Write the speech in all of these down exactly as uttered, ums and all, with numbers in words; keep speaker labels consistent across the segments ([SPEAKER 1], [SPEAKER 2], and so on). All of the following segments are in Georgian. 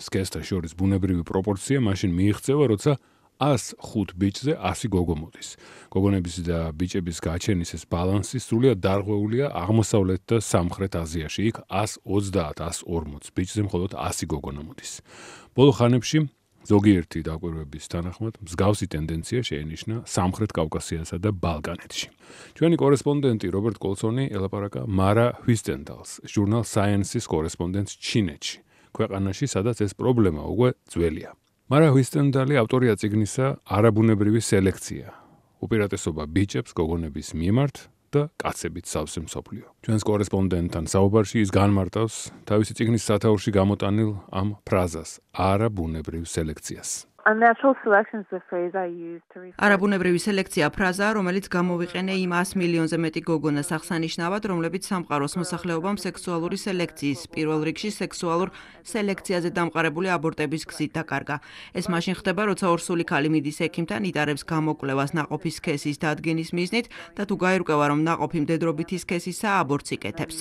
[SPEAKER 1] სქესთა შორის ბუნებრივი პროპორცია მაშინ მიიღწევა, როცა ას ხუთ ბიჭზე ასი გოგო მოდის. გოგონების და ბიჭების გაჩენის ეს ბალანსი სრულიად დარღვეულია აღმოსავლეთ და სამხრეთ აზიაში. იქ ას ოცდაათ ას ორმოც ბიჭზე მხოლოდ ასი გოგონა მოდის. ბოლო ხანებში ზოგიერთი დაკვირვების თანახმად მსგავსი ტენდენცია შეინიშნა სამხრეთ კავკასიასა და ბალკანეთში. ჩვენი კორესპონდენტი რობერტ კოლსონი ელაპარაკა მარა ჰვისტენდალს, ჟურნალ Science-ის კორესპონდენტს ჩინეთში, ქვეყანაში, სადაც ეს პრობლემა უკვე ძველია. მარა ჰვისტენდალი ავტორია წიგნისა არაბუნებრივი სელექცია. უპირატესობა ბიჭებს გოგონების მიმართ და კაცებით სავსე მსოფლიო. ჩვენს კორესპონდენტთან საუბარში ის განმარტავს თავისი წიგნის სათაურში გამოტანილ ამ ფრაზას არაბუნებრივ სელექციას.
[SPEAKER 2] არაბუნებრივი სელექცია ფრაზაა, რომელიც გამოვიყენე იმ ას მილიონზე მეტი გოგონას აღსანიშნავად, რომლებიც სამყაროს მოსახლეობამ სექსუალური სელექციის, პირველ რიგში სექსუალურ სელექციაზე დამყარებული აბორტების გზით დაკარგა. ეს მაშინ ხდება, როცა ორსული ქალი მიდის ექიმთან, იტარებს გამოკვლევას ნაყოფის სქესის დადგენის მიზნით და თუ გაირკვევა, რომ ნაყოფი მდედრობითი სქესისაა, აბორტს იკეთებს.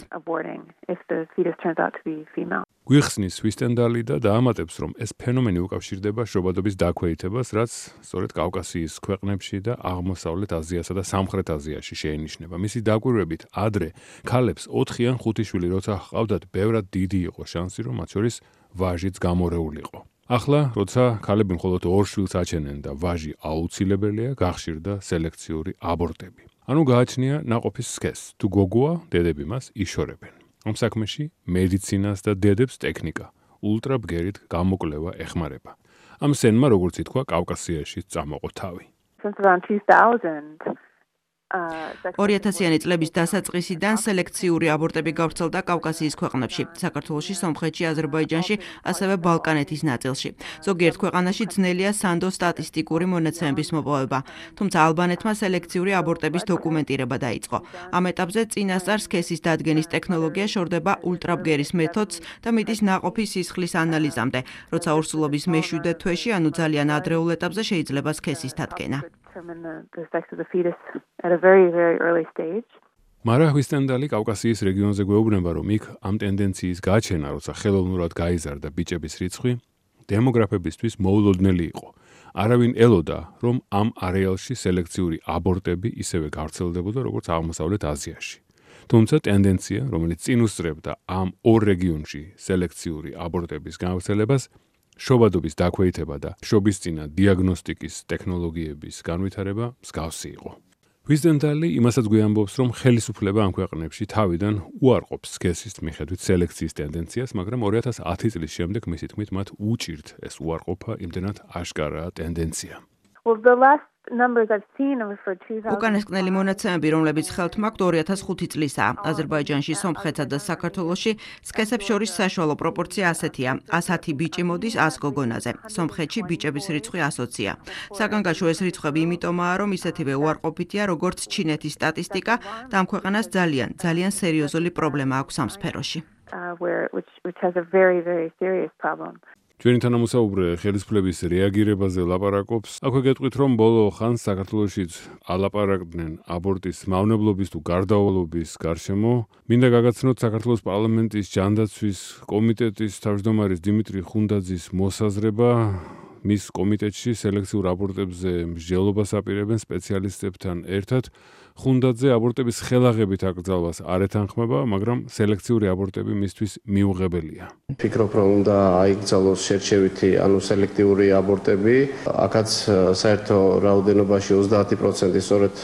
[SPEAKER 1] გვიხსნის ჰვისტენდალი და დაამატებს, რომ ეს ფენომენი უკავშირდება შრობადობის დაქვეითებას, რაც სწორედ კავკასიის ქვეყნებში და აღმოსავლეთ აზიასა და სამხრეთ აზიაში შეინიშნება. მისი დაკვირვებით, ადრე ქალებს ოთხი ან ხუთი შვილი როცა ჰყავდათ, ბევრად დიდი იყო შანსი, რომ მათ შორის ვაჟიც გამორეულიყო. ახლა, როცა ქალები მხოლოდ ორ შვილს აჩენენ და ვაჟი აუცილებელია, გახშირდა სელექციური აბორტები. ანუ გააჩნია ნაყოფის სქესს. თუ გოგოა, დედები მას იშორებენ. ამ საქმეში მედიცინას და დედებს ტექნიკა, ულტრაბგერით გამოკვლევა ეხმარება. ამ სენმა, როგორც ითქვა, კავკასიაში წამოყო თავი.
[SPEAKER 2] ორი ათასიანი წლების დასაწყისიდან სელექციური აბორტები გავრცელდა კავკასიის ქვეყნებში, საქართველოში, სომხეთში, აზერბაიჯანში, ასევე ბალკანეთის ნაწილში. ზოგიერთ ქვეყანაში ძნელია სანდო სტატისტიკური მონაცემების მოპოვება, თუმცა ალბანეთმა სელექციური აბორტების დოკუმენტირება დაიწყო. ამ ეტაპზე წინასწარ სქესის დადგენის ტექნოლოგია შორდება ულტრაბგერის მეთოდს და მიდის ნაყოფის სისხლის ანალიზამდე, როცა ორსულობის მეშვიდე თვეში, ანუ ძალიან ადრეულ ეტაპზე შეიძლება სქესის დადგენა.
[SPEAKER 1] მარა ჰვისტენდალი კავკასიის რეგიონზე გვეუბნება, რომ იქ ამ ტენდენციის გაჩენა, როცა ხელოვნურად გაიზარდა ბიჭების რიცხვი, დემოგრაფებისთვის მოულოდნელი იყო. არავინ ელოდა, რომ ამ არეალში სელექციური აბორტები ისევე გავრცელდებოდა, როგორც აღმოსავლეთ აზიაში. თუმცა ტენდენცია, რომელიც წინ უსწრებდა ამ ორ რეგიონში სელექციური აბორტების გავრცელებას, შობადობის დაქვეითება და შობისწინა დიაგნოსტიკის ტექნოლოგიების განვითარება მსგავსი იყო. ჰვისტენდალი იმასაც გვიამბობს, რომ ხელისუფლება ამ ქვეყნებში თავიდან უარყოფს სქესის მიხედვით სელექციის ტენდენციას, მაგრამ ორი ათას ათი წლის შემდეგ მისი თქმით მათ უჭირთ ეს უარყოფა, იმდენად აშკარაა ტენდენცია.
[SPEAKER 2] უკანასკნელი მონაცემები, რომლებიც ხელთ მაქვთ, ორი ათას ხუთი წლისაა. აზერბაიჯანში, სომხეთსა და საქართველოში სქესებს შორის საშუალო პროპორცია ასეთია: ათი ბიჭი მოდის ას გოგონაზე. სომხეთში ბიჭების რიცხვი ასოცია. საგანგაშო ეს რიცხვები იმიტომაა, რომ ისეთივე უარყოფითია, როგორც ჩინეთის სტატისტიკა და ამ ქვეყანას ძალიან, ძალიან სერიოზული პრობლემა აქვს ამ სფეროში.
[SPEAKER 1] ჩვენი თანამოსაუბრე ხელისუფლების რეაგირებაზე ლაპარაკობს. აქვე გეტყვით, რომ ბოლო ხანს საქართველოშიც ალაპარაკდნენ აბორტის მავნებლობის თუ გარდავალობის გარშემო. მინდა გაგაცნოთ საქართველოს პარლამენტის ჯანდაცვის კომიტეტის თავმჯდომარის დიმიტრი ხუნდაძის მოსაზრება. მის კომიტეტში სელექციურ აბორტებზე მსჯელობას აპირებენ სპეციალისტებთან ერთად. ხუნდაძე აბორტების ხელაღებით აკრძალვას არ ეთანხმება, მაგრამ სელექციური აბორტები მისთვის მიუღებელია.
[SPEAKER 3] ფიქრობ, რომ უნდა აიკრძალოს შერჩევითი, ანუ სელექტიური აბორტები. აქაც საერთო რაოდენობაში ოცდაათი პროცენტი სწორედ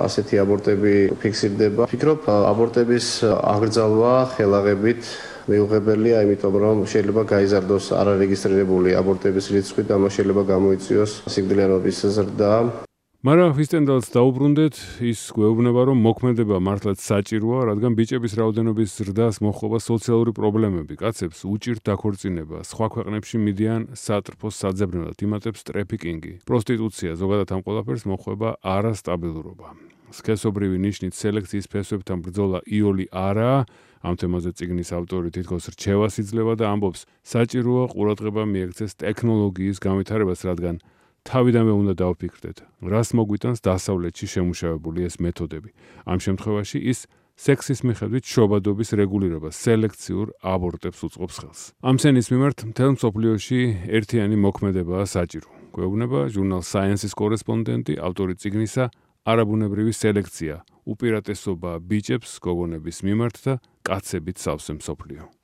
[SPEAKER 3] ასეთი აბორტები ფიქსირდება. ფიქრობ, აბორტების აკრძალვა ხელაღებით მიუღებელია, იმიტომ რომ შეიძლება გაიზარდოს არარეგისტრირებული აბორტების რიცხვი და მას შეიძლება გამოიწვიოს სიკვდილიანობის ზრდა.
[SPEAKER 1] მარა ჰვისტენდალს დაუბრუნდეთ, ის გვეუბნება, რომ მოქმედება მართლაც საჭიროა, რადგან ბიჭების რაოდენობის ზრდას მოჰყობა სოციალური პრობლემები, კაცებს უჭირთ დაქორწინება, სხვა ქვეყნებში მიდიან სატრფოს საძებნელად, იმატებს ტრეფიკინგი, პროსტიტუცია, ზოგადად ამ ყველაფერს მოჰყვება არასტაბილურობა. სქესობრივი ნიშნით სელექციის ფესვებთან ბრძოლა იოლი არაა. ამ თემაზე წიგნის ავტორი თითქოს რჩევას იძლევა და ამბობს, საჭიროა ყურადღება მიექცეს ტექნოლოგიის განვითარებას, რადგან თავიდანვე უნდა დავფიქრდეთ, რას მოგვიტანს დასავლეთში შემუშავებული ეს მეთოდები. ამ შემთხვევაში ის სექსის მიხედვით შობადობის რეგულირება სელექციურ აბორტებს უწყობს ხელს. ამ სენის მიმართ მთელ მსოფლიოში ერთიანი მოქმედებაა საჭირო. გვეუბნება ჟურნალ Science-ის კორესპონდენტი, ავტორი წიგნისა არაბუნებრივი სელექცია, უპირატესობა ბიჭებს გოგონების მიმართ და კაცებით სავსე მსოფლიო.